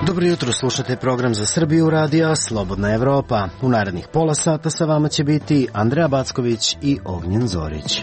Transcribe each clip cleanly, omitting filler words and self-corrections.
Dobro jutro, slušate program za Srbiju radija Slobodna Evropa. U narednih pola sata sa vama će biti Andreja Backović i Ognjen Zorić.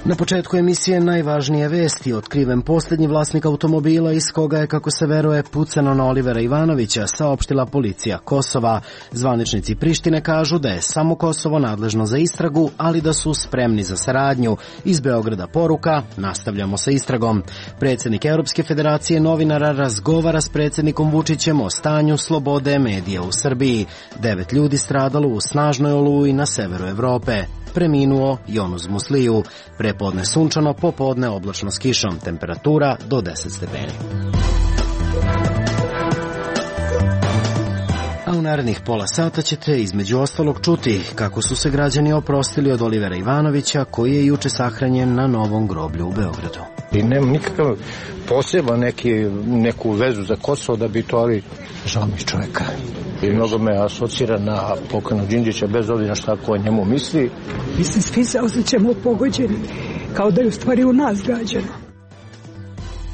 Na početku emisije najvažnije vesti. Otkriven posljednji vlasnik automobila iz koga je, kako se veruje, pucano na Olivera Ivanovića, saopštila policija Kosova. Zvaničnici Prištine kažu da je samo Kosovo nadležno za istragu, ali da su spremni za saradnju. Iz Beograda poruka: nastavljamo sa istragom. Predsjednik Europske federacije novinara razgovara s predsjednikom Vučićem o stanju slobode medija u Srbiji. 9 ljudi stradalo u snažnoj oluji na severu Evrope. Preminuo Jonuz Musliju. Prepodne sunčano, popodne oblačno s kišom. Temperatura do 10 stepeni. A u narednih pola sata ćete između ostalog čuti kako su se građani oprostili od Olivera Ivanovića, koji je juče sahranjen na novom groblju u Beogradu. I nemam nikakav poseban neku vezu za Kosovo da bi to, ali žao mi čovjeka. I mnogo me asocira na pokojnog Đinđića, bez obzira šta ko o njemu misli. Mislim, svi se osjećamo pogođeni, kao da je u stvari u nas gađano.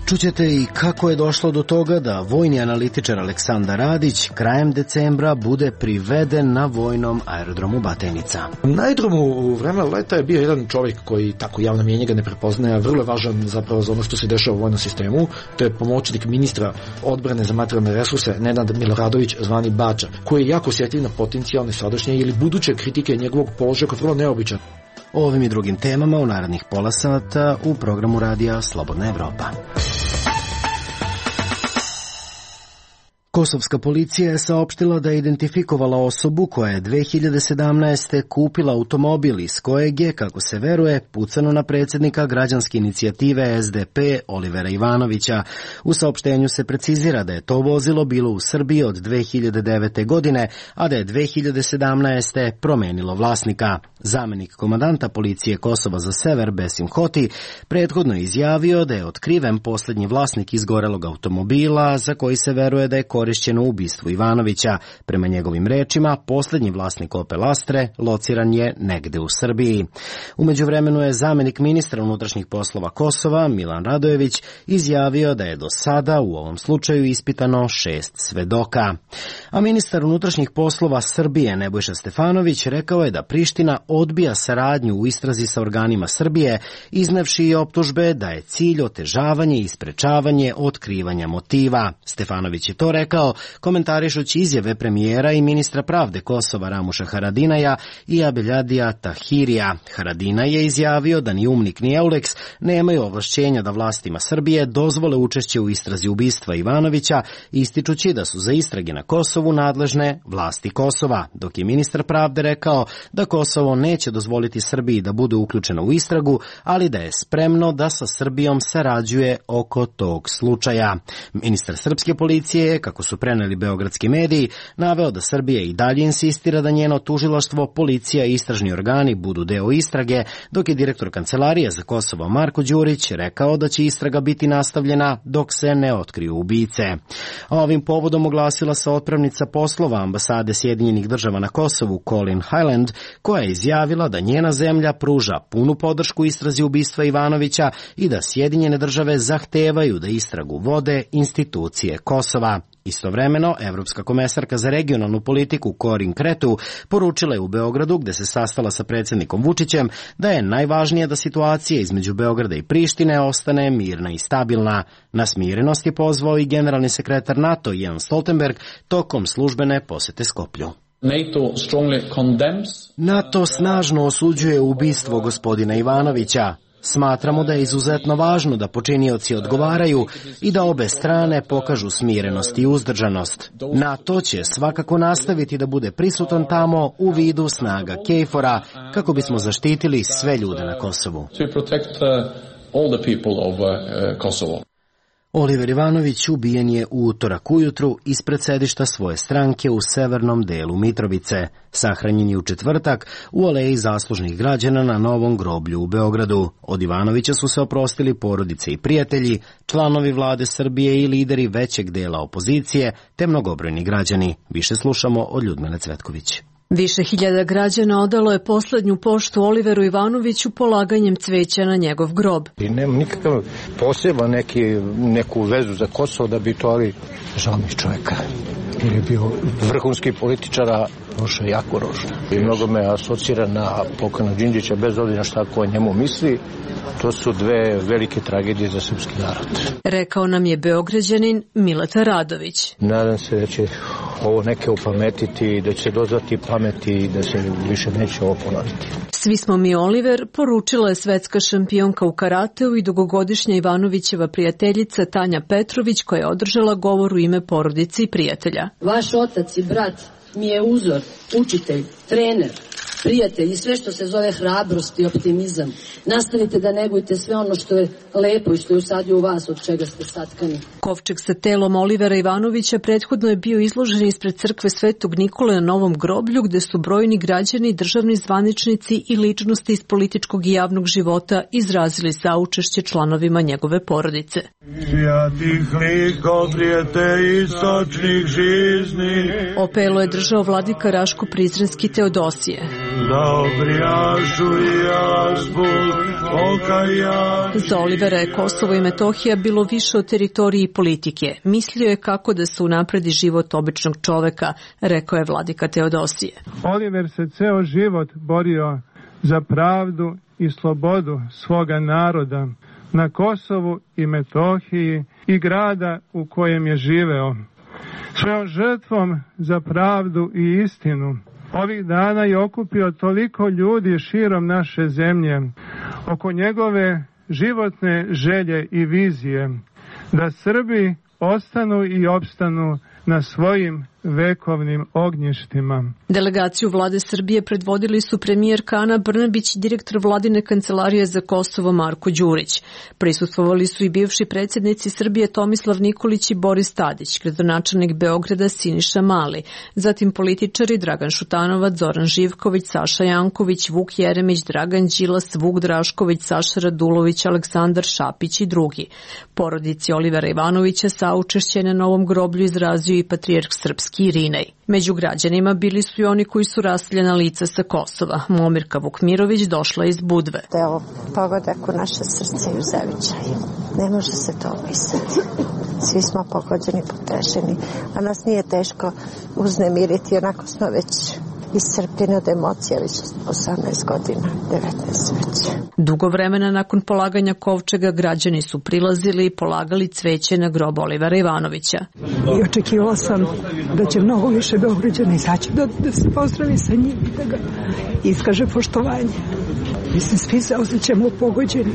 Čućete i kako je došlo do toga da vojni analitičar Aleksandar Radić krajem decembra bude priveden na vojnom aerodromu Batajnica. Na aerodromu u vreme leta je bio jedan čovjek koji tako javno mjenje ga ne prepoznaje, vrlo je važan zapravo za ono što se dešava u vojnom sistemu. To je pomoćnik ministra odbrane za materijalne resurse Nenad Miloradović, zvani Bača, koji je jako osjetljiv na potencijalne sadašnje ili buduće kritike njegovog položaja koji je vrlo neobičan. O ovim i drugim temama u narednih pola sata u programu radija Slobodna Evropa. Kosovska policija je saopštila da je identifikovala osobu koja je 2017. kupila automobil iz kojeg je, kako se veruje, pucano na predsjednika građanske inicijative SDP Olivera Ivanovića. U saopštenju se precizira da je to vozilo bilo u Srbiji od 2009. godine, a da je 2017. promenilo vlasnika. Zamenik komandanta policije Kosova za sever Besim Hoti prethodno je izjavio da je otkriven posljednji vlasnik izgorelog automobila za koji se veruje da je korišćeno u ubistvu Ivanovića. Prema njegovim rečima, posljednji vlasnik Opel Astre lociran je negde u Srbiji. U međuvremenu je zamenik ministra unutrašnjih poslova Kosova, Milan Radojević, izjavio da je do sada u ovom slučaju ispitano 6 svedoka. A ministar unutrašnjih poslova Srbije Nebojša Stefanović rekao je da Priština odbija saradnju u istrazi sa organima Srbije, iznevši i optužbe da je cilj otežavanje i sprečavanje otkrivanja motiva. Stefanović je to rekao komentarišući izjave premijera i ministra pravde Kosova Ramuša Haradinaja i Abeljadija Tahirija. Haradinaj je izjavio da ni UMNIK ni EULEX nemaju ovlašćenja da vlastima Srbije dozvole učešće u istrazi ubistva Ivanovića, ističući da su za istrage na Kosovu nadležne vlasti Kosova, dok je ministar pravde rekao da Kosovo neće dozvoliti Srbiji da bude uključena u istragu, ali da je spremno da sa Srbijom sarađuje oko tog slučaja. Ministar srpske policije je, kako su preneli beogradski mediji, naveo da Srbija i dalje insistira da njeno tužilaštvo, policija i istražni organi budu deo istrage, dok je direktor Kancelarije za Kosovo Marko Đurić rekao da će istraga biti nastavljena dok se ne otkriju ubice. A ovim povodom oglasila se otpravnica poslova ambasade Sjedinjenih država na Kosovu Colin Highland, koja je izjavila da njena zemlja pruža punu podršku istrazi ubistva Ivanovića i da Sjedinjene države zahtevaju da istragu vode institucije Kosova. Istovremeno, evropska komesarka za regionalnu politiku Corin Cretu poručila je u Beogradu, gde se sastala sa predsjednikom Vučićem, da je najvažnije da situacija između Beograda i Prištine ostane mirna i stabilna. Na smirenost je pozvao i generalni sekretar NATO Jens Stoltenberg tokom službene posete Skoplju. NATO snažno osuđuje ubistvo gospodina Ivanovića. Smatramo da je izuzetno važno da počinioci odgovaraju i da obe strane pokažu smirenost i uzdržanost. NATO će svakako nastaviti da bude prisutan tamo u vidu snaga KFOR-a kako bismo zaštitili sve ljude na Kosovu. Oliver Ivanović ubijen je u utorak ujutru ispred sedišta svoje stranke u severnom delu Mitrovice. Sahranjen je u četvrtak u aleji zaslužnih građana na Novom groblju u Beogradu. Od Ivanovića su se oprostili porodice i prijatelji, članovi vlade Srbije i lideri većeg dela opozicije, te mnogobrojni građani. Više slušamo od Ljudmile Cvetković. Više hiljada građana odalo je poslednju poštu Oliveru Ivanoviću polaganjem cveća na njegov grob. I nema nikakav poseban neku vezu za Kosovo da bi to, ali žao mi čovjeka. Jer je bio vrhunski političar, a Roša jako Roša. I mnogo me asocira na pokojnog Đinđića, bez obzira šta ko o njemu misli. To su dve velike tragedije za srpski narod. Rekao nam je Beograđanin Mileta Radović. Nadam se da će ovo neke upametiti, da će dozvati pameti i da se više neće ovo ponoviti. Svi smo mi Oliver, poručila je svetska šampionka u karateu i dugogodišnja Ivanovićeva prijateljica Tanja Petrović, koja je održala govor u ime porodice i prijatelja. Vaš otac i brat mi je uzor, učitelj, trener, prijatelj i sve što se zove hrabrost i optimizam. Nastavite da negujte sve ono što je lepo i što je usadio u vas, od čega ste satkani. Kovčeg sa telom Olivera Ivanovića prethodno je bio izložen ispred crkve Svetog Nikole na Novom groblju, gde su brojni građani, državni zvaničnici i ličnosti iz političkog i javnog života izrazili saučešće članovima njegove porodice. Opelo je držao vladika Raško Prizrenski Teodosije. Za Olivera je Kosovo i Metohija bilo više od teritorije i politike. Mislio je kako da se unapredi život običnog čoveka, rekao je vladika Teodosije. Oliver se ceo život borio za pravdu i slobodu svoga naroda na Kosovu i Metohiji i grada u kojem je živeo. Svojom žrtvom za pravdu i istinu ovih dana je okupio toliko ljudi širom naše zemlje oko njegove životne želje i vizije da Srbi ostanu i opstanu na svojim vekovnim ognjištima. Delegaciju vlade Srbije predvodili su premijerka Ana Brnabić i direktor vladine kancelarije za Kosovo Marko Đurić. Prisustvovali su i bivši predsjednici Srbije Tomislav Nikolić i Boris Tadić, gradonačelnik Beograda Siniša Mali, zatim političari Dragan Šutanovac, Zoran Živković, Saša Janković, Vuk Jeremić, Dragan Đilas, Vuk Drašković, Saša Radulović, Aleksandar Šapić i drugi. Porodici Olivera Ivanovića saučešće na Novom groblju izrazio i patrijarh srpski Irinej. Među građanima bili su i oni koji su raseljena lica sa Kosova. Momirka Vukmirović došla iz Budve. Da je ovo pogodak u naše srce i u zavičaju. Ne može se to opisati. Svi smo pogođeni, potešeni, a nas nije teško uznemiriti, onako smo već iscrpljeni od emocija, već 18 godina, 19 već. Dugo vremena nakon polaganja kovčega građani su prilazili i polagali cveće na grob Olivera Ivanovića. I očekivala sam da će mnogo više Beograđana izaći da se pozdravi sa njim i da ga iskaže poštovanje. Mislim, svi se osjećamo pogođeni,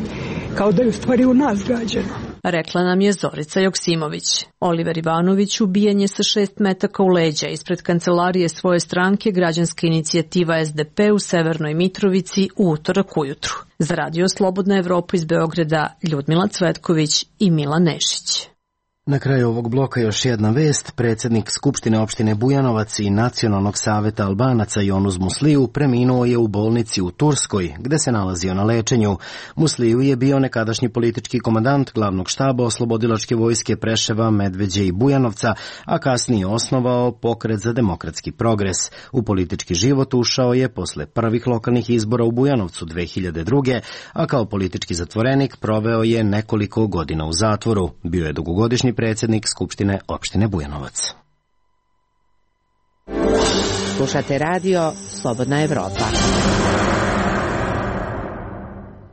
kao da je u stvari u nas gađano. Rekla nam je Zorica Joksimović. Oliver Ivanović ubijen je sa 6 metaka u leđa ispred kancelarije svoje stranke Građanska inicijativa SDP u Severnoj Mitrovici u utorak ujutru. Za Radio Slobodna Evropa iz Beograda Ljudmila Cvetković i Milan Nešić. Na kraju ovog bloka još jedna vest. Predsjednik Skupštine opštine Bujanovac i Nacionalnog saveta Albanaca Jonuz Musliju preminuo je u bolnici u Turskoj, gde se nalazio na lečenju. Musliju je bio nekadašnji politički komandant glavnog štaba oslobodilačke vojske Preševa, Medveđe i Bujanovca, a kasnije osnovao Pokret za demokratski progres. U politički život ušao je posle prvih lokalnih izbora u Bujanovcu 2002. a kao politički zatvorenik proveo je nekoliko godina u zatvoru. Bio je dugogodišnji predsjednik Skupštine opštine Bujanovac. Slušate radio Slobodna Evropa.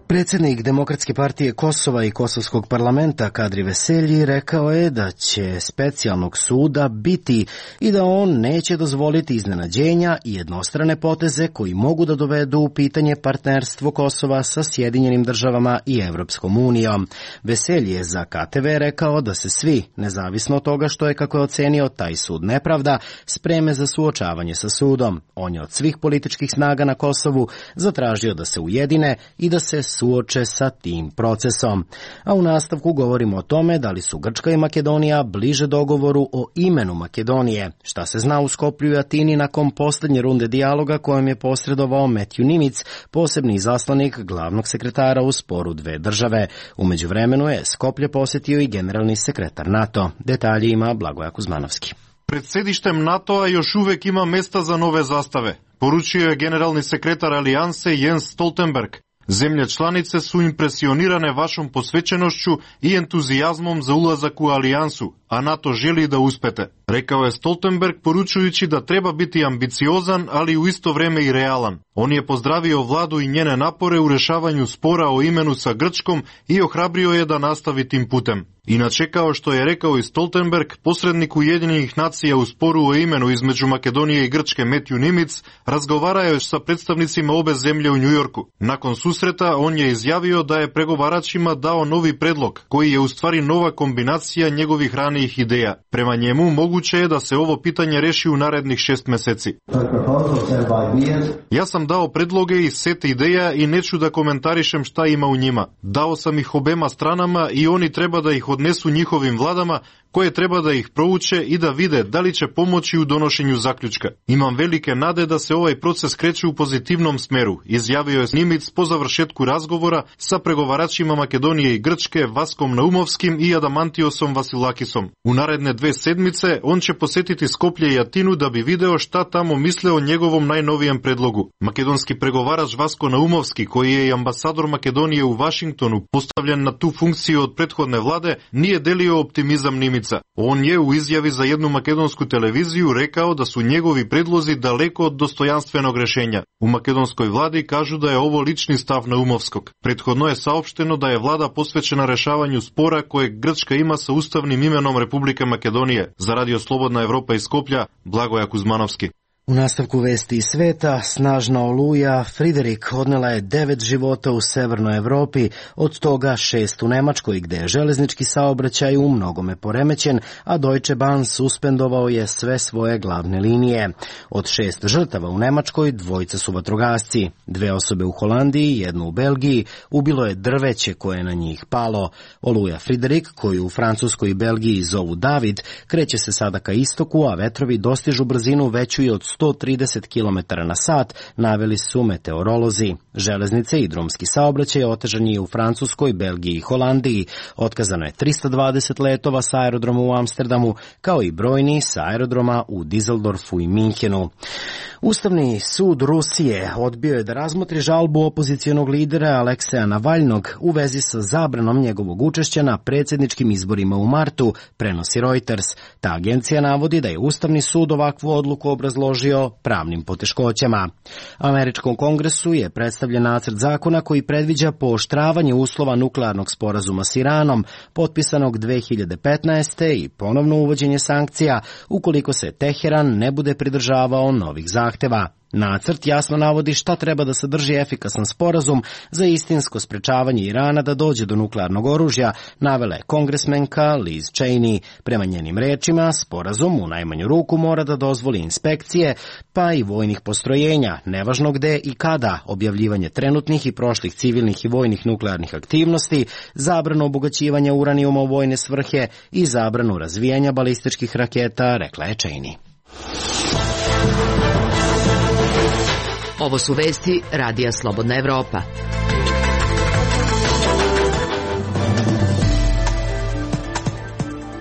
Predsjednik Demokratske partije Kosova i Kosovskog parlamenta Kadri Veselji rekao je da će specijalnog suda biti i da on neće dozvoliti iznenađenja i jednostrane poteze koji mogu da dovedu u pitanje partnerstvo Kosova sa Sjedinjenim državama i Evropskom unijom. Veselji je za KTV rekao da se svi, nezavisno od toga što je, kako je ocenio, taj sud nepravda, spreme za suočavanje sa sudom. On je od svih političkih snaga na Kosovu zatražio da se ujedine i da se suoče sa tim procesom. A u nastavku govorimo o tome da li su Grčka i Makedonija bliže dogovoru o imenu Makedonije. Šta se zna u Skoplju i Atini nakon posljednje runde dijaloga kojem je posredovao Matthew Nimitz, posebni izaslanik glavnog sekretara u sporu dve države. U međuvremenu je Skoplje posjetio i generalni sekretar NATO. Detalji ima Blagoja Kuzmanovski. Pred sedištem NATO-a još uvek ima mesta za nove zastave, poručio je generalni sekretar Alijanse Jens Stoltenberg. Zemlje članice su impresionirane vašom posvećenošću i entuzijazmom za ulazak u alijansu, a NATO želi da uspete, rekao je Stoltenberg poručujući da treba biti ambiciozan, ali u isto vreme i realan. On je pozdravio vladu i njene napore u rešavanju spora o imenu sa Grčkom i ohrabrio je da nastavi tim putem. Inače, kao što je rekao i Stoltenberg, posrednik Ujedinjenih nacija u sporu o imenu između Makedonije i Grčke Matthew Nimitz razgovarao je sa predstavnicima obe zemlje u Njujorku. Nakon susreta on je izjavio da je pregovaračima dao novi predlog, koji je u stvari nova kombinacija njegovih ranijih ideja. Prema njemu moguće je da se ovo pitanje reši u narednih 6 meseci. Ja sam dao predloge i set ideja i neću da komentarišem šta ima u njima. Dao sam ih obema stranama i oni treba da ih odnesu njihovim vladama, koje treba da ih prouče i da vide da li će pomoći u donošenju zaključka. Imam velike nade da se ovaj proces kreće u pozitivnom smeru, izjavio je Nimitz po završetku razgovora sa pregovaračima Makedonije i Grčke Vaskom Naumovskim i Adamantiosom Vasilakisom. U naredne 2 sedmice on će posetiti Skoplje i Atinu da bi video šta tamo misle o njegovom najnovijem predlogu. Makedonski pregovarač Vasko Naumovski, koji je i ambasador Makedonije u Vašingtonu postavljen na tu funkciju od prethodne vlade, nije delio optimizam Nimitza. On je u izjavi za jednu makedonsku televiziju rekao da su njegovi predlozi daleko od dostojanstvenog rešenja. U makedonskoj vladi kažu da je ovo lični stav Naumovskog. Prethodno je saopšteno da je vlada posvećena rešavanju spora kojeg Grčka ima sa ustavnim imenom Republike Makedonije. Za Radio Slobodna Evropa iz Skoplja, Blagoja Kuzmanovski. U nastavku vesti iz sveta, snažna oluja Friderik odnela je 9 života u severnoj Evropi, od toga 6 u Nemačkoj, gde je železnički saobraćaj u mnogome poremećen, a Deutsche Bahn suspendovao je sve svoje glavne linije. Od 6 žrtava u Nemačkoj, 2 su vatrogasci, 2 osobe u Holandiji, 1 u Belgiji, ubilo je drveće koje je na njih palo. Oluja Friderik, koju u Francuskoj i Belgiji zovu David, kreće se sada ka istoku, a vetrovi dostižu brzinu veću i od 130 km na sat, naveli su meteorolozi. Železnice i drumski saobraćaj otežan je u Francuskoj, Belgiji i Holandiji. Otkazano je 320 letova sa aerodroma u Amsterdamu, kao i brojni sa aerodroma u Dizeldorfu i Minhenu. Ustavni sud Rusije odbio je da razmotri žalbu opozicionog lidera Alekseja Navalnog u vezi sa zabranom njegovog učešća na predsjedničkim izborima u martu, prenosi Reuters. Ta agencija navodi da je Ustavni sud ovakvu odluku obrazložio pravnim poteškoćama. Američkom kongresu je predstavljen nacrt zakona koji predviđa pooštravanje uslova nuklearnog sporazuma s Iranom, potpisanog 2015. i ponovno uvođenje sankcija ukoliko se Teheran ne bude pridržavao novih zahteva. Nacrt jasno navodi šta treba da sadrži efikasan sporazum za istinsko sprečavanje Irana da dođe do nuklearnog oružja, navela je kongresmenka Liz Cheney. Prema njenim rečima, sporazum u najmanju ruku mora da dozvoli inspekcije, pa i vojnih postrojenja, nevažno gde i kada, objavljivanje trenutnih i prošlih civilnih i vojnih nuklearnih aktivnosti, zabranu obogaćivanja uranijuma u vojne svrhe i zabranu razvijanja balističkih raketa, rekla je Cheney. Ovo su vesti Radija Slobodna Evropa.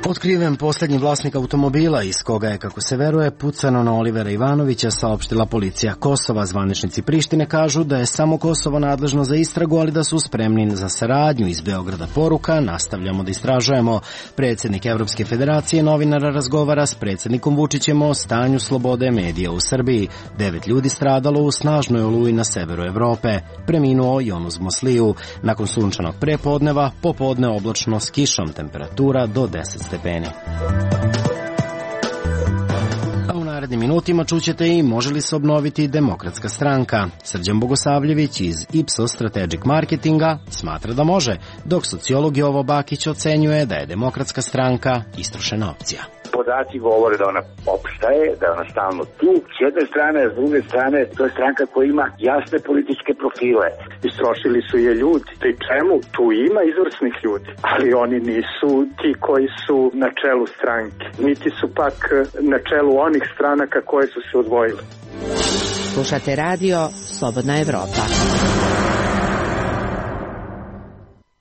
Otkriven posljednji vlasnik automobila iz koga je, kako se veruje, pucano na Olivera Ivanovića, saopštila policija Kosova. Zvaničnici Prištine kažu da je samo Kosovo nadležno za istragu, ali da su spremni za saradnju. Iz Beograda poruka: nastavljamo da istražujemo. Predsjednik Evropske federacije novinara razgovara s predsjednikom Vučićem o stanju slobode medija u Srbiji. 9 ljudi stradalo u snažnoj oluji na severu Evrope. Preminuo Jonuz Mosliju. Nakon sunčanog prepodneva, popodne oblačno s kišom, temperatura do 10 stepeni. A u narednim minutima čućete i može li se obnoviti Demokratska stranka. Srđan Bogosavljević iz Ipsos Strategic Marketinga smatra da može, dok sociolog Jovo Bakić ocenjuje da je Demokratska stranka istrošena opcija. podaci govore da ona opstaje, da je ona stalno tu. S jedne strane, a s druge strane, to je stranka koja ima jasne političke profile. Istrošili su je ljudi. Pri čemu tu ima izvrsnih ljudi, ali oni nisu ti koji su na čelu stranke. Niti su pak na čelu onih stranaka koje su se odvojile. Slušate radio Slobodna Evropa.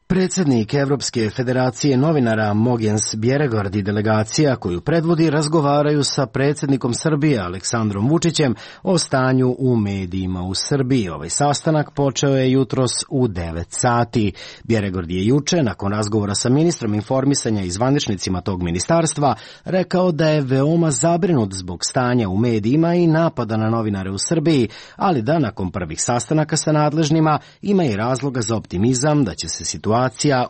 Predsjednik Evropske federacije novinara Mogens Bjerregård i delegacija koju predvodi razgovaraju sa predsjednikom Srbije Aleksandrom Vučićem o stanju u medijima u Srbiji. Ovaj sastanak počeo je jutros u 9 sati. Bjerregård je juče, nakon razgovora sa ministrom informisanja i zvaničnicima tog ministarstva, rekao da je veoma zabrinut zbog stanja u medijima i napada na novinare u Srbiji, ali da nakon prvih sastanaka sa nadležnima ima i razloga za optimizam da će se situacija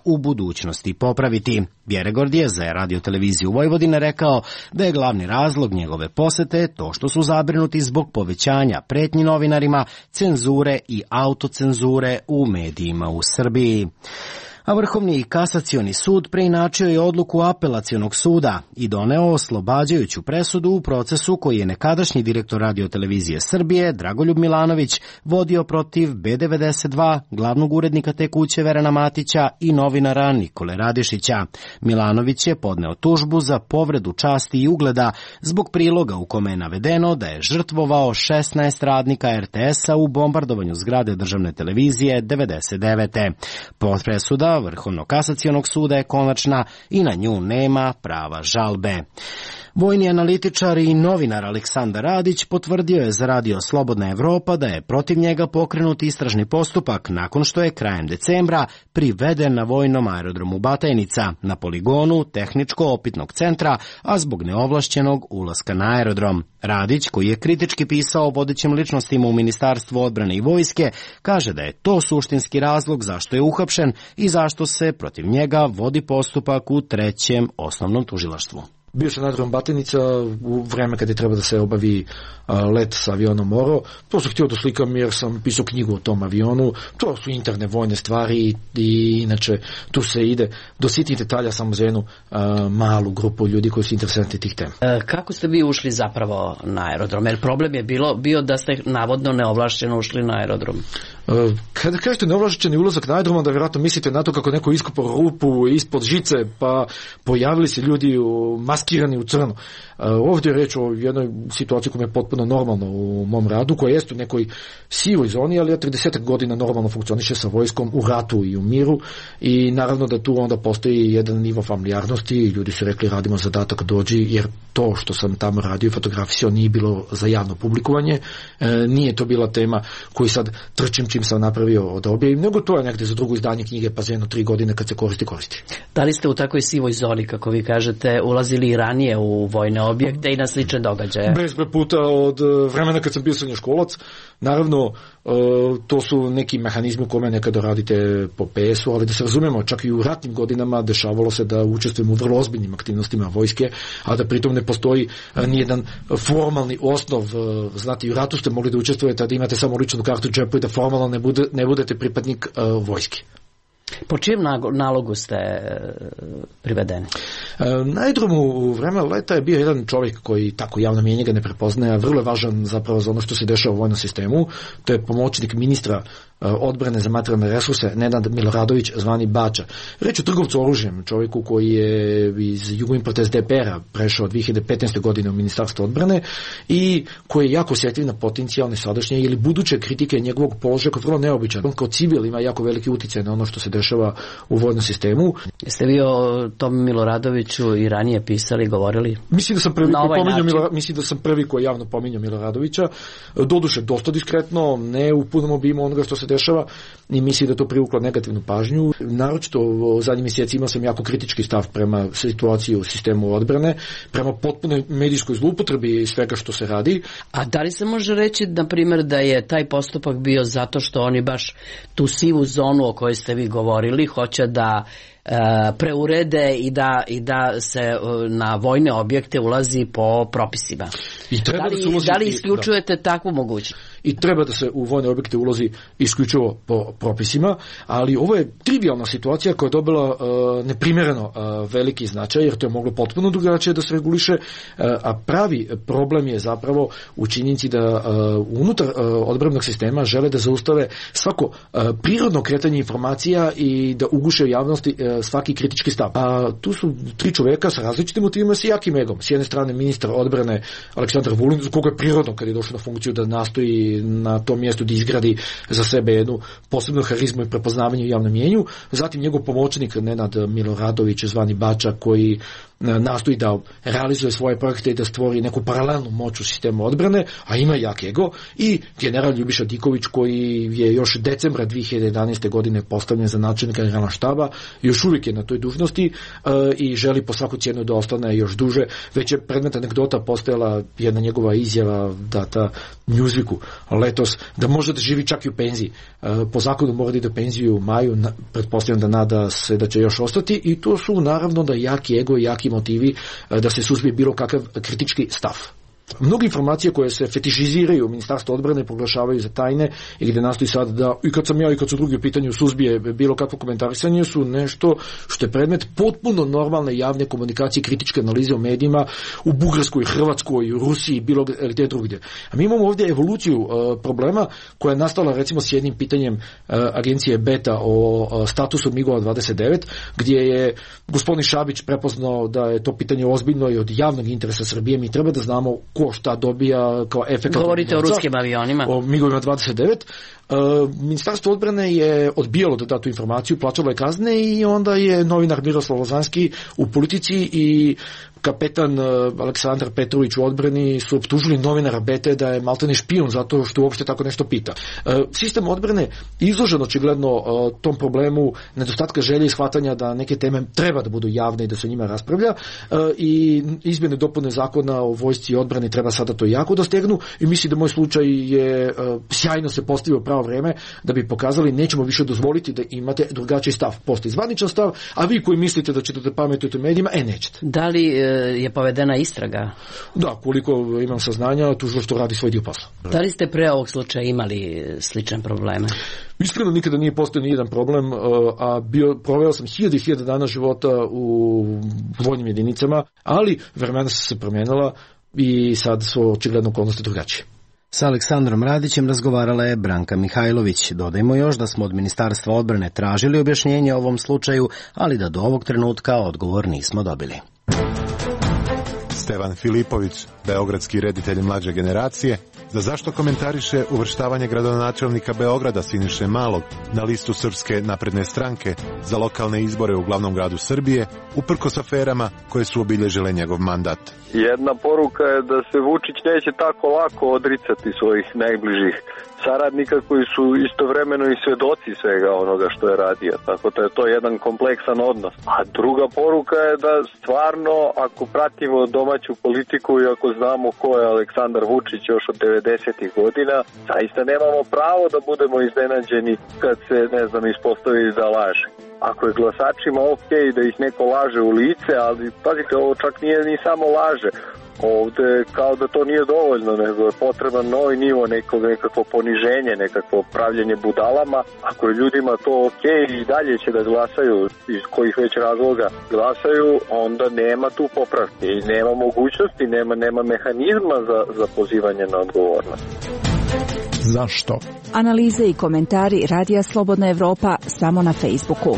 u budućnosti popraviti. Bjerregård je za Radio-televiziju Vojvodine rekao da je glavni razlog njegove posete to što su zabrinuti zbog povećanja pretnji novinarima, cenzure i autocenzure u medijima u Srbiji. A Vrhovni kasacioni sud preinačio je odluku apelacionog suda i doneo oslobađajuću presudu u procesu koji je nekadašnji direktor Radio-televizije Srbije Dragoljub Milanović vodio protiv B92, glavnog urednika te kuće Verana Matića i novinara Nikole Radišića. Milanović je podneo tužbu za povredu časti i ugleda zbog priloga u kome je navedeno da je žrtvovao 16 radnika RTS-a u bombardovanju zgrade državne televizije 99. Presuda Vrhovnog kasacionog suda je konačna i na nju nema prava žalbe. Vojni analitičar i novinar Aleksandar Radić potvrdio je za Radio Slobodna Evropa da je protiv njega pokrenut istražni postupak nakon što je krajem decembra priveden na vojnom aerodromu Batajnica na poligonu tehničko-opitnog centra, a zbog neovlašćenog ulaska na aerodrom. Radić, koji je kritički pisao o vodećim ličnostima u Ministarstvu odbrane i vojske, kaže da je to suštinski razlog zašto je uhapšen i zašto se protiv njega vodi postupak u 3. osnovnom tužilaštvu. Bio sam na aerodrom Batajnica u vreme kada je treba da se obavi let sa avionom Oro. To sam htio da slikam jer sam pisao knjigu o tom avionu. To su interne vojne stvari i inače tu se ide do sitnih detalja samo za jednu malu grupu ljudi koji su interesanti tih tema. Kako ste vi ušli zapravo na aerodrom? Jer problem je bio da ste navodno neovlašćeno ušli na aerodrom. Kada kažete neovlašćeni ulazak na aerodrom, da vjerojatno mislite na to kako neko iskopao rupu ispod žice, pa pojavili se ljudi maskirani u crno. Ovdje je reč o jednoj situaciji koja je potpuno normalna u mom radu, koja jeste u nekoj sivoj zoni, ali ja 30 godina normalno funkcioniše sa vojskom u ratu i u miru i naravno da tu onda postoji jedan nivo familijarnosti i ljudi su rekli radimo zadatak dođi, jer to što sam tamo radio i fotografisao nije bilo za javno publikovanje, nije to bila tema koju sad trčim čim sam napravio da objavim, nego to je negdje za drugo izdanje knjige pa za jedno 3 godine kad se koristi. Da li ste u takvoj sivoj zoni, kako vi kažete, ulazili i ranije u vojne objekte i na slične događaje? Bezbroj puta od vremena kad sam bio srednjoškolac. Naravno, to su neki mehanizmi u kome nekada radite po PS-u, ali da se razumemo, čak i u ratnim godinama dešavalo se da učestvujemo u vrlo ozbiljnim aktivnostima vojske, a da pritom ne postoji nijedan formalni osnov. Znate, i u ratu ste mogli da učestvujete, a da imate samo ličnu kartu u džepu i da formalno ne budete pripadnik vojske. Po čijem nalogu ste privedeni? Na aerodromu u vreme leta je bio jedan čovjek koji tako javno mjenje ga ne prepoznaje, a vrlo je važan zapravo za ono što se dešava u vojnom sistemu. To je pomoćnik ministra odbrane za materijalne resurse Nenad Miloradović, zvani Bača. Reč o trgovcu oružjem, čovjeku koji je iz Jugoimporta SDP-a prešao 2015. godine u Ministarstvo odbrane i koji je jako osjetljiv na potencijalne sadašnje ili buduće kritike njegovog položaja koji je vrlo neobičan. On kao civil ima jako veliki utjecaj na ono što se dešava u vojnom sistemu. Jeste vi o tom Miloradoviću i ranije pisali, govorili? Mislim da sam prvi koji javno pominjao Miloradovića. Doduše dosta diskretno, ne u punom obimu onoga što se dešava i mislim da to privuklo negativnu pažnju. Naročito u zadnjim mjesecima sam jako kritički stav prema situaciji u sistemu odbrane, prema potpunoj medijskoj zloupotrebi i svega što se radi. A da li se može reći, na primjer, da je taj postupak bio zato što oni baš tu sivu zonu o kojoj ste vi govorili hoće da preurede i da se na vojne objekte ulazi po propisima? I treba da li isključujete takvu mogućnost? I treba da se u vojne objekte ulazi isključivo po propisima, ali ovo je trivialna situacija koja je dobila neprimjereno veliki značaj, jer to je moglo potpuno drugačije da se reguliše, a pravi problem je zapravo u činjenici da unutar odbrambenog sistema žele da zaustave svako prirodno kretanje informacija i da uguše u javnosti svaki kritički stav. A tu su tri čoveka sa različitim motivima, sa jakim egom. S jedne strane ministar odbrane Aleksandar Vulin, koga je prirodno kad je došao na funkciju da nastoji na tom mjestu da izgradi za sebe jednu posebnu harizmu i prepoznavanje u javnom mjenju. Zatim njegov pomoćnik Nenad Miloradović, zvani Bača, koji nastoji da realizuje svoje projekte i da stvori neku paralelnu moć u sistemu odbrane, a ima jak ego, i general Ljubiša Diković, koji je još decembra 2011. godine postavljen za načelnika generalnog štaba, još uvijek je na toj dužnosti i želi po svaku cijenu da ostane još duže. Već je predmet anegdota postojala jedna njegova izjava data Newsweeku letos, da može da živi čak i u penziji. Po zakonu mora da ide u penziju u maju, pretpostavljam da nada se da će još ostati, i to su naravno da jaki ego i jaki motivi da se suzbije bilo kakav kritički stav. Mnoge informacije koje se fetišiziraju u Ministarstvu odbrane proglašavaju za tajne i gde nastoji sad da, i kad sam ja i kad su drugi u pitanju, suzbije bilo kakvo komentarisanje, su nešto što je predmet potpuno normalne javne komunikacije, kritičke analize u medijima u Bugarskoj, Hrvatskoj, Rusiji, bilo gdje drugdje. A mi imamo ovdje evoluciju problema koja je nastala recimo s jednim pitanjem agencije Beta o statusu MIG-ova 29, gdje je gospodin Šabić prepoznao da je to pitanje ozbiljno i od javnog interesa Srbije. Mi treba da znamo ko šta dobija kao efekt. Govorite o ruskim avionima. O MIG-ovima 29. Ministarstvo odbrane je odbijalo da da tu informaciju, plaćalo je kazne, i onda je novinar Miroslav Lazanski u Politici i kapetan Aleksandar Petrović u odbrani su optužili novinara Bete da je maltene špijun zato što uopšte tako nešto pita. Sistem odbrane izložen očigledno tom problemu nedostatka želje i shvatanja da neke teme treba da budu javne i da se o njima raspravlja, i izmjene dopune zakona o vojsci i odbrani treba sada to jako da stegnu, i mislim da moj slučaj je sjajno se postavio pravo vreme da bi pokazali nećemo više dozvoliti da imate drugačiji stav. Postoji zvaničan stav, a vi koji mislite da ćete pametujete u medijima, nećete. Da li je povedena istraga? Da, koliko imam saznanja, tužilaštvo radi svoj dio posla. Da li ste pre ovog slučaja imali slične probleme? Iskreno nikada nije postao ni jedan problem, a proveo sam 1000 dana života u vojnim jedinicama, ali vremena su se promijenila i sad su očigledno okolnosti drugačije. Sa Aleksandrom Radićem razgovarala je Branka Mihajlović. Dodajmo još da smo od Ministarstva odbrane tražili objašnjenje o ovom slučaju, ali da do ovog trenutka odgovor nismo dobili. Stevan Filipović, beogradski reditelj mlađe generacije, za zašto komentariše uvrštavanje gradonačelnika Beograda Siniše Malog na listu Srpske napredne stranke za lokalne izbore u glavnom gradu Srbije, uprkos aferama koje su obilježile njegov mandat. Jedna poruka je da se Vučić neće tako lako odricati svojih najbližih saradnika koji su istovremeno i svedoci svega onoga što je radio. Tako da je to jedan kompleksan odnos. A druga poruka je da stvarno, ako pratimo domaću politiku i ako znamo ko je Aleksandar Vučić još od 90-ih godina, zaista nemamo pravo da budemo iznenađeni kad se, ispostavi da laže. Ako je glasačima okej da ih neko laže u lice, ali pazite, ovo čak nije ni samo laže. Ovde kao da to nije dovoljno, nego je potreban novi nivo, nekakvo poniženje, nekakvo pravljenje budalama. Ako je ljudima to okej i dalje će da glasaju, iz kojih već razloga glasaju, onda nema tu popravke i nema mogućnosti, nema mehanizma za pozivanje na odgovornost. Zašto? Analize i komentari Radija Slobodna Evropa samo na Facebooku.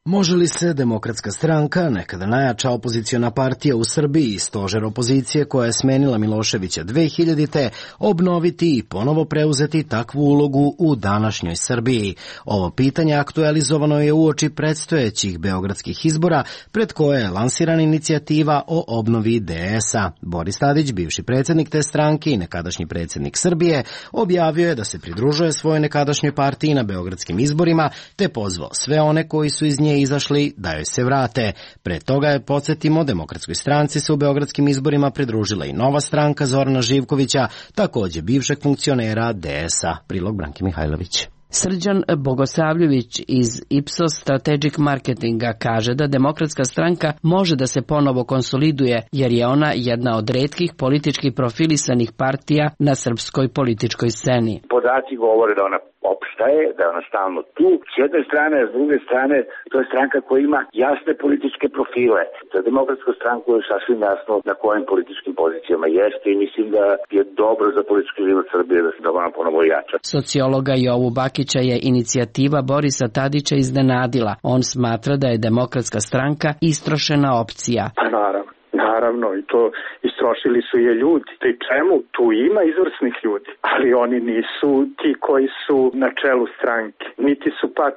Može li se Demokratska stranka, nekada najjača opoziciona partija u Srbiji i stožer opozicije koja je smenila Miloševića 2000-te, obnoviti i ponovo preuzeti takvu ulogu u današnjoj Srbiji? Ovo pitanje aktualizovano je uoči predstojećih beogradskih izbora, pred koje je lansirana inicijativa o obnovi DS-a. Boris Tadić, bivši predsjednik te stranke i nekadašnji predsjednik Srbije, objavio je da se pridružuje svojoj nekadašnjoj partiji na beogradskim izborima, te pozvao sve one koji su iz nje izašli da joj se vrate. Pre toga je, podsjetimo, Demokratskoj stranci se u beogradskim izborima pridružila i nova stranka Zorana Živkovića, također bivšeg funkcionera DS-a. Prilog Branke Mihajlović. Srđan Bogosavljević iz Ipsos Strategic Marketinga kaže da Demokratska stranka može da se ponovo konsoliduje jer je ona jedna od retkih politički profilisanih partija na srpskoj političkoj sceni. Podaci govore da ona opstaje, da je ona stalno tu. S jedne strane, a s druge strane, to je stranka koja ima jasne političke profile. Za Demokratsku stranku je sasvim jasno na kojim političkim pozicijama jeste i mislim da je dobro za politički život Srbije da se da ona ponovo jača. Sociologa Jovu Bakića je inicijativa Borisa Tadića iznenadila. On smatra da je Demokratska stranka istrošena opcija. Pa naravno, i to istrošili su je ljudi. Pri čemu tu ima izvrsnih ljudi, ali oni nisu ti koji su na čelu stranke, niti su pak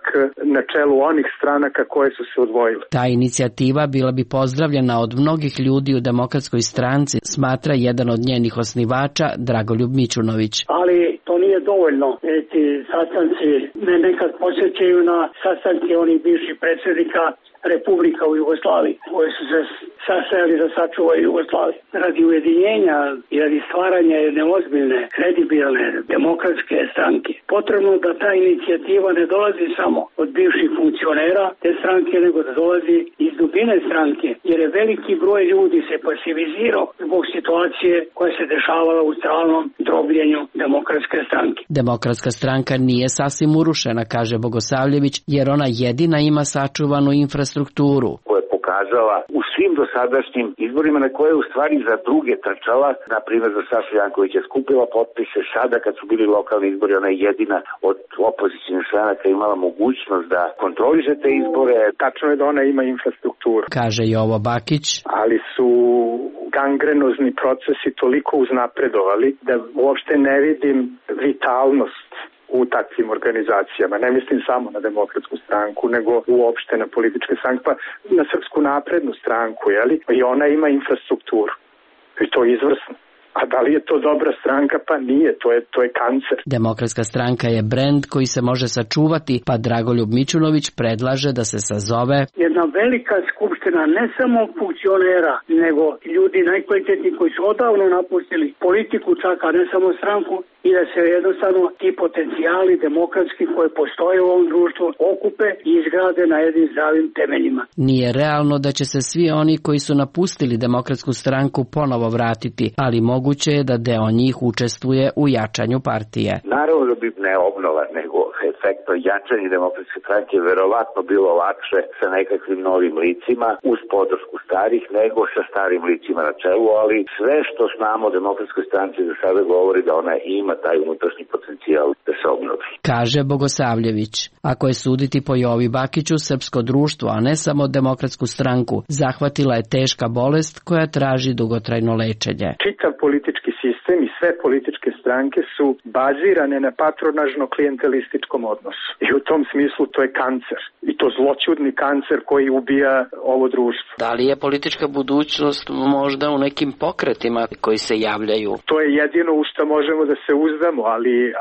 na čelu onih stranaka koje su se odvojile. Ta inicijativa bila bi pozdravljena od mnogih ljudi u Demokratskoj stranci, smatra jedan od njenih osnivača Dragoljub Mićunović. Ali to nije dovoljno. Ti sastanci me nekad podsjećaju na sastanke onih bivših predsjednika Republika u Jugoslaviji, koje su se sastajali da sačuvaju Jugoslaviju. Radi ujedinjenja i radi stvaranja jedne ozbiljne, kredibilne, demokratske stranke. Potrebno da ta inicijativa ne dolazi samo od bivših funkcionera te stranke, nego da dolazi iz dubine stranke, jer je veliki broj ljudi se pasivizirao zbog situacije koja se dešavala u stalnom drobljenju Demokratske stranke. Demokratska stranka nije sasvim urušena, kaže Bogosavljević, jer ona jedina ima sačuvanu infrastrukturu. Koja je pokazala u svim dosadašnjim izborima na koje je u stvari za druge trčala, na primjer za Sašu Jankovića skupila potpise, sada kad su bili lokalni izbori, ona je jedina od opozicijnih stranaka imala mogućnost da kontroliše te izbore. Tačno je da ona ima infrastrukturu, kaže Jovo Bakić, ali su gangrenozni procesi toliko uznapredovali da uopšte ne vidim vitalnost u takvim organizacijama. Ne mislim samo na Demokratsku stranku, nego uopšte na političke stranke, pa na Srpsku naprednu stranku, jeli? I ona ima infrastrukturu. I to je izvrsno. A da li je to dobra stranka? Pa nije, to je kancer. Demokratska stranka je brend koji se može sačuvati, pa Dragoljub Mićunović predlaže da se sazove jedna velika skupština ne samo funkcionera, nego ljudi najkvalitetniji koji su odavno napustili politiku čak, a ne samo stranku, i da se jednostavno ti potencijali demokratski koji postoje u ovom društvu okupe i izgrade na jednim zdravim temeljima. Nije realno da će se svi oni koji su napustili Demokratsku stranku ponovo vratiti, ali moguće je da deo njih učestvuje u jačanju partije. Naravno da bi ne obnova, nego efektno jačanje Demokratske stranke verovatno bilo lakše sa nekakvim novim licima uz podršku starih nego sa starim licima na čelu, ali sve što znamo o Demokratskoj stranci za sada govori da ona ima taj unutrašnji potencijal da se obnovi. Kaže Bogosavljević. Ako je suditi po Jovi Bakiću, srpsko društvo, a ne samo Demokratsku stranku, zahvatila je teška bolest koja traži dugotrajno lečenje. Čitav politički sistem i sve političke stranke su bazirane na patronažno-klijentelističkom odnosu. I u tom smislu to je kancer. I to zloćudni kancer koji ubija ovo društvo. Da li je politička budućnost možda u nekim pokretima koji se javljaju? To je jedino u što možemo da se uzdamo,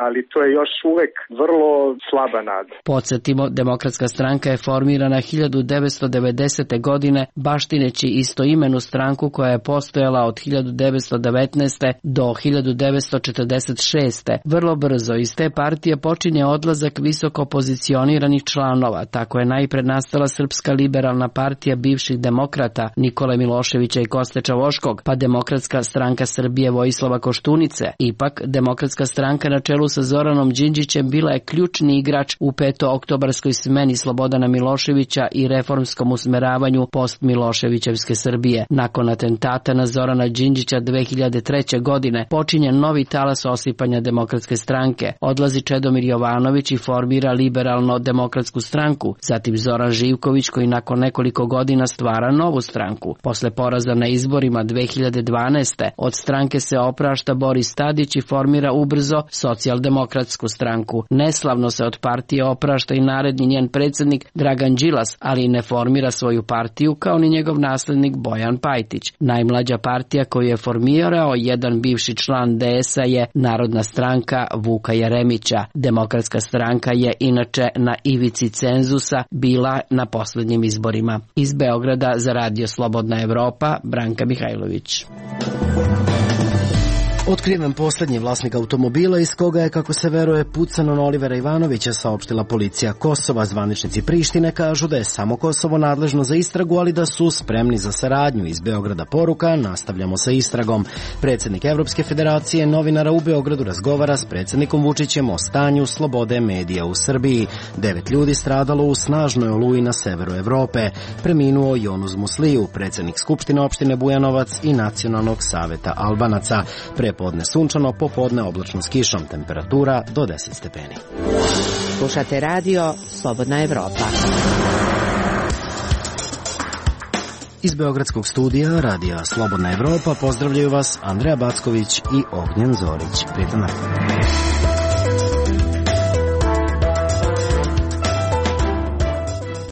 ali to je još uvek vrlo slaba nada. Podsjetimo, Demokratska stranka je formirana 1990. godine baštineći istoimenu stranku koja je postojala od 1919. do 1946. Vrlo brzo iz te partije počinje odlazak visoko pozicioniranih članova. Tako je najpred nastala Srpska liberalna partija bivših demokrata Nikole Miloševića i Koste Čavoškog, pa Demokratska stranka Srbije Vojislava Koštunice. Ipak, Demokratska stranka na čelu sa Zoranom Đinđićem bila je ključni igrač u petooktobarskoj smeni Slobodana Miloševića i reformskom usmeravanju post-Miloševićevske Srbije. Nakon atentata na Zorana Đinđića 2003. godine počinje novi talas osipanja Demokratske stranke. Odlazi Čedomir Jovanović i formira Liberalno-demokratsku stranku. Zatim Zoran Živković koji nakon nekoliko godina stvara novu stranku. Posle poraza na izborima 2012. od stranke se oprašta Boris Tadić i formira ubrzo Socijaldemokratsku stranku. Neslavno se od partije oprašta i naredni njen predsjednik Dragan Đilas, ali ne formira svoju partiju kao ni njegov naslednik Bojan Pajtić. Najmlađa partija koju je formirao jedan bivši član DS-a je Narodna stranka Vuka Jeremića. Demokratska stranka je inače na ivici cenzusa bila na posljednjim izborima. Iz Beograda za Radio Slobodna Evropa, Branka Mihajlović. Otkriven posljednji vlasnik automobila iz koga je, kako se veruje, pucano na Olivera Ivanovića, saopštila policija Kosova. Zvaničnici Prištine kažu da je samo Kosovo nadležno za istragu, ali da su spremni za saradnju. Iz Beograda poruka: nastavljamo sa istragom. Predsjednik Evropske federacije novinara u Beogradu razgovara s predsjednikom Vučićem o stanju slobode medija u Srbiji. 9 ljudi stradalo u snažnoj oluji na severu Evrope. Preminuo Jonuz Musliju, predsjednik Skupštine opštine Bujanovac i Nacionalnog saveta Albanaca. Prepodne sunčano, popodne oblačno s kišom, temperatura do 10 stepeni. Slušate radio Slobodna Evropa. Iz beogradskog studija radija Slobodna Evropa pozdravljaju vas Andreja Backović i Ognjen Zorić. Prijetan dan.